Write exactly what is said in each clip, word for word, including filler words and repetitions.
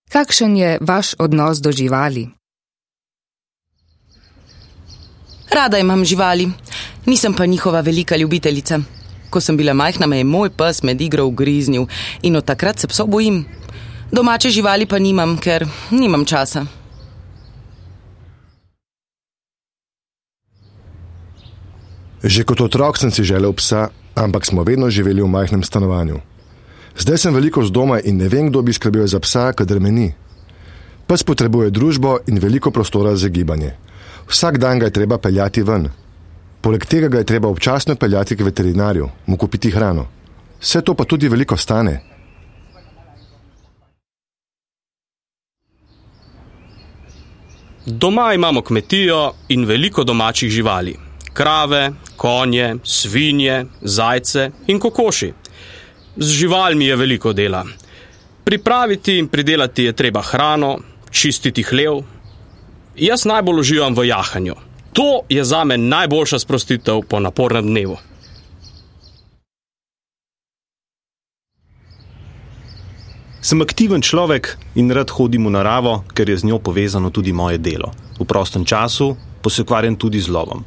Kakšen je vaš odnos do živali? Rada imam živali, nisem pa njihova velika ljubiteljica. Ko sem bila majhna, me je moj pes med igro ugriznil in od takrat se psov bojim. Domače živali pa nimam, ker nimam časa. Že kot otrok sem si želel psa, ampak smo vedno živeli v majhnem stanovanju. Zdaj sem veliko z doma in ne vem, kdo bi skrbel za psa, kadar me ni. Pes potrebuje družbo in veliko prostora za gibanje. Vsak dan ga je treba peljati ven. Poleg tega ga je treba občasno peljati k veterinarju, mu kupiti hrano. Vse to pa tudi veliko stane. Doma imamo kmetijo in veliko domačih živali. Krave, konje, svinje, zajce in kokoši. Z živalmi je veliko dela. Pripraviti in pridelati je treba hrano, čistiti hlev. Jaz najbolj uživam v jahanju. To je zame najboljša sprostitev po napornem dnevu. Sem aktiven človek in rad hodim v naravo, ker je z njo povezano tudi moje delo. V prostem času pa se ukvarjam tudi z lovom.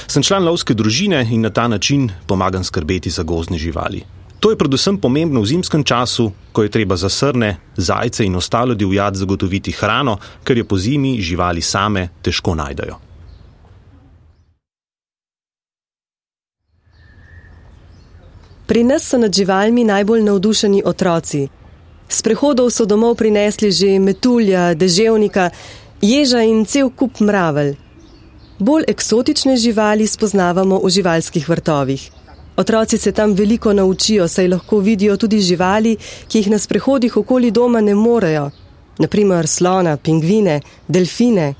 Sem član lovske družine in na ta način pomagam skrbeti za gozdne živali. To je predvsem pomembno v zimskem času, ko je treba za srne, zajce in ostalo divjad zagotoviti hrano, ker je po zimi živali same težko najdejo. Pri nas so nad živalmi najbolj navdušeni otroci. S prehodov so domov prinesli že metulja, deževnika, ježa in cel kup mravelj. Bolj eksotične živali spoznavamo v živalskih vrtovih. Otroci se tam veliko naučijo, saj lahko vidijo tudi živali, ki jih na sprehodih okoli doma ne morejo. Naprimer slona, pingvine, delfine.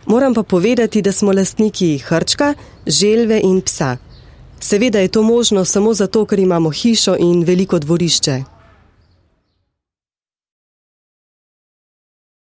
Moram pa povedati, da smo lastniki hrčka, želve in psa. Seveda je to možno samo zato, ker imamo hišo in veliko dvorišče.